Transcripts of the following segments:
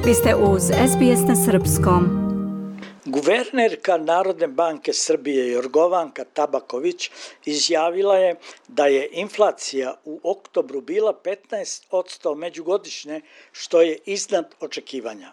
Vi ste uz SBS na srpskom. Guvernerka Narodne banke Srbije Jorgovanka Tabaković izjavila je da je inflacija u oktobru bila 15% međugodišnje, što je iznad očekivanja.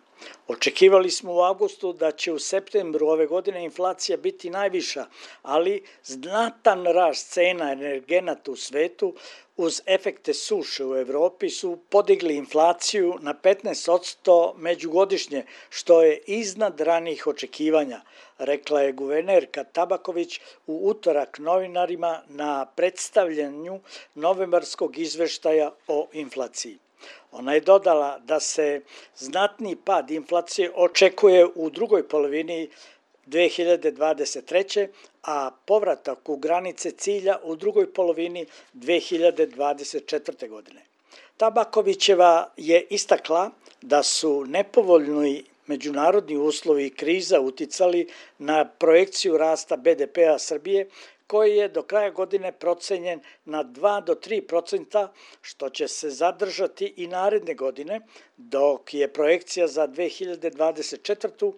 Očekivali smo u avgustu da će u septembru ove godine inflacija biti najviša, ali znatan rast cena energenata u svetu uz efekte suše u Evropi su podigli inflaciju na 15% međugodišnje, što je iznad ranijih očekivanja, rekla je guvernerka Tabaković u utorak novinarima na predstavljanju novembarskog izveštaja o inflaciji. Ona je dodala da se znatni pad inflacije očekuje u drugoj polovini 2023. a povratak u granice cilja u drugoj polovini 2024. godine. Tabakovićeva je istakla da su nepovoljni međunarodni uslovi i kriza uticali na projekciju rasta BDP-a Srbije, koji je do kraja godine procenjen na 2 do 3%, što će se zadržati i naredne godine, dok je projekcija za 2024.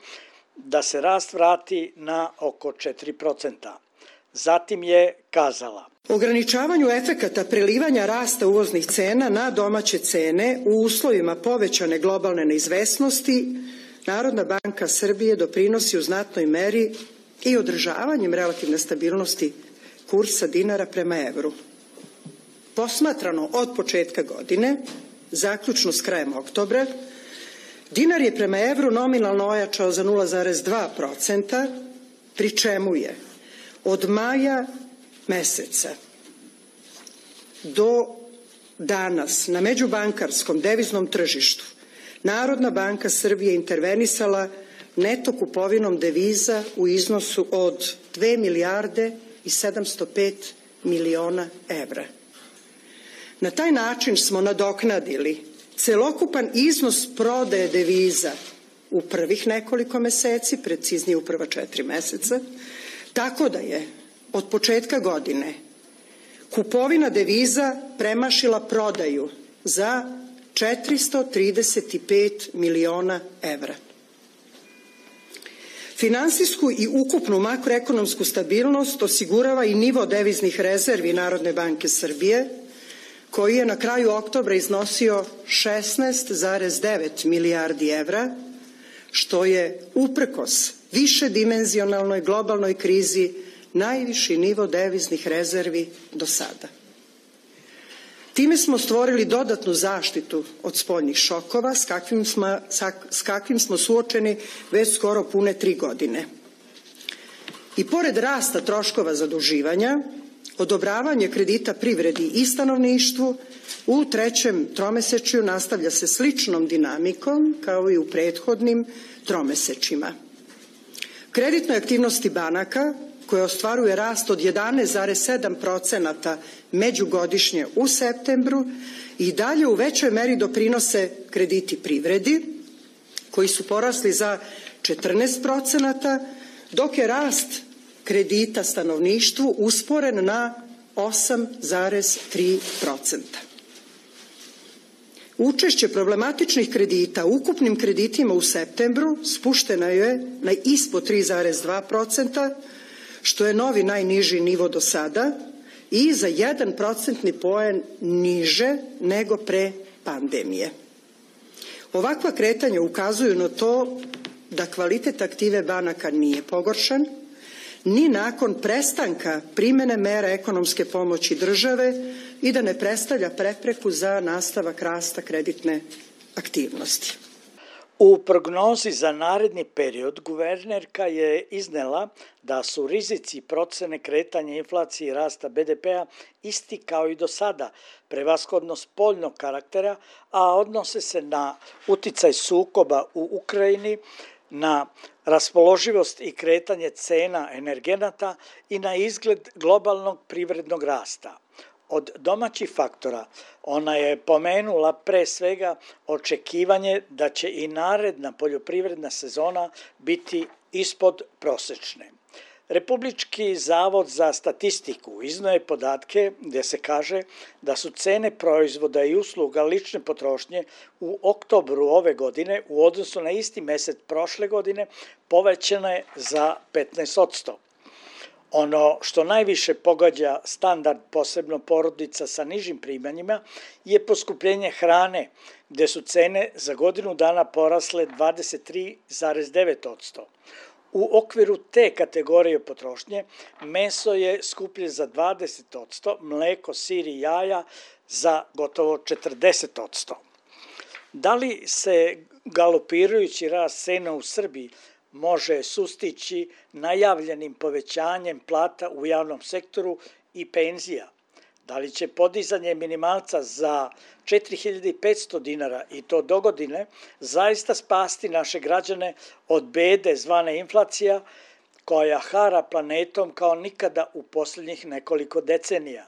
da se rast vrati na oko 4%. Zatim je kazala: Ograničavanju efekata prelivanja rasta uvoznih cena na domaće cene u uslovima povećane globalne neizvesnosti, Narodna banka Srbije doprinosi u znatnoj meri i održavanjem relativne stabilnosti kursa dinara prema evru. Posmatrano od početka godine, zaključno s krajem oktobra, dinar je prema evru nominalno ojačao za 0,2%, pri čemu je od maja meseca do danas na međubankarskom deviznom tržištu Narodna banka Srbije intervenisala neto kupovinom deviza u iznosu od 2 milijarde i 705 miliona evra. Na taj način smo nadoknadili celokupan iznos prodaje deviza u prvih nekoliko meseci, preciznije u prva 4 meseca, tako da je od početka godine kupovina deviza premašila prodaju za 435 miliona evra. Finansijsku i ukupnu makroekonomsku stabilnost osigurava i nivo deviznih rezervi Narodne banke Srbije, koji je na kraju oktobra iznosio 16,9 milijardi evra, što je uprkos višedimenzionalnoj globalnoj krizi najviši nivo deviznih rezervi do sada. Time smo stvorili dodatnu zaštitu od spoljnih šokova s kakvim smo suočeni već skoro pune 3 godine. I pored rasta troškova zaduživanja, odobravanje kredita privredi i stanovništvu u trećem tromesečju nastavlja se sličnom dinamikom kao i u prethodnim tromesečjima. Kreditnoj aktivnosti banaka, koja ostvaruje rast od 11,7% međugodišnje u septembru, i dalje u većoj meri doprinose krediti privredi, koji su porasli za 14%, dok je rast kredita stanovništvu usporen na 8,3%. Učešće problematičnih kredita u ukupnim kreditima u septembru spušteno je na ispod 3,2%, što je novi najniži nivo do sada i za 1% poen niže nego pre pandemije. Ovakva kretanja ukazuju na to da kvalitet aktive banaka nije pogoršan, ni nakon prestanka primene mera ekonomske pomoći države i da ne predstavlja prepreku za nastavak rasta kreditne aktivnosti. U prognozi za naredni period guvernerka je iznela da su rizici procene kretanja inflacije i rasta BDP-a isti kao i do sada, prevashodno spoljnog karaktera, a odnose se na uticaj sukoba u Ukrajini, na raspoloživost i kretanje cena energenata i na izgled globalnog privrednog rasta. Od domaćih faktora ona je pomenula pre svega očekivanje da će i naredna poljoprivredna sezona biti ispod prosečne. Republički zavod za statistiku izneo je podatke gdje se kaže da su cene proizvoda i usluga lične potrošnje u oktobru ove godine u odnosu na isti mjesec prošle godine povećane za 15%. Ono što najviše pogađa standard, posebno porodica sa nižim primanjima, je poskupljenje hrane, gdje su cene za godinu dana porasle 23,9%. U okviru te kategorije potrošnje meso je skuplje za 20%, mleko, sir i jaja za gotovo 40%. Da li se galopirajući rast cena u Srbiji može sustići najavljenim povećanjem plata u javnom sektoru i penzija? Da li će podizanje minimalca za 4500 dinara i to dogodine zaista spasti naše građane od bede zvane inflacija koja hara planetom kao nikada u posljednjih nekoliko decenija?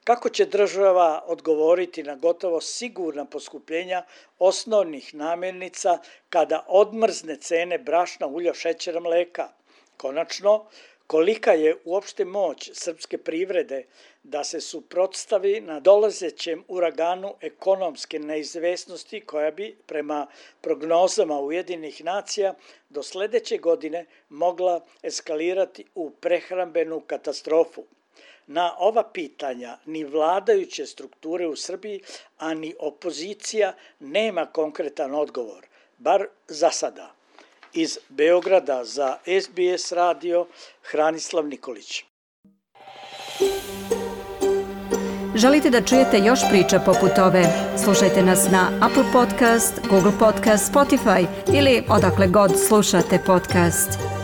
Kako će država odgovoriti na gotovo sigurna poskupljenja osnovnih namirnica kada odmrzne cene brašna, ulja, šećera, mleka? Konačno, kolika je uopšte moć srpske privrede da se suprotstavi na dolazećem uraganu ekonomske neizvesnosti koja bi, prema prognozama Ujedinjenih nacija, do sljedeće godine mogla eskalirati u prehrambenu katastrofu? Na ova pitanja ni vladajuće strukture u Srbiji, a ni opozicija nema konkretan odgovor, bar za sada. Iz Beograda za SBS radio Hranislav Nikolić. Želite da čujete još priča poput ove? Slušajte nas na Apple Podcast, Google Podcast, Spotify ili odakle god slušate podcast.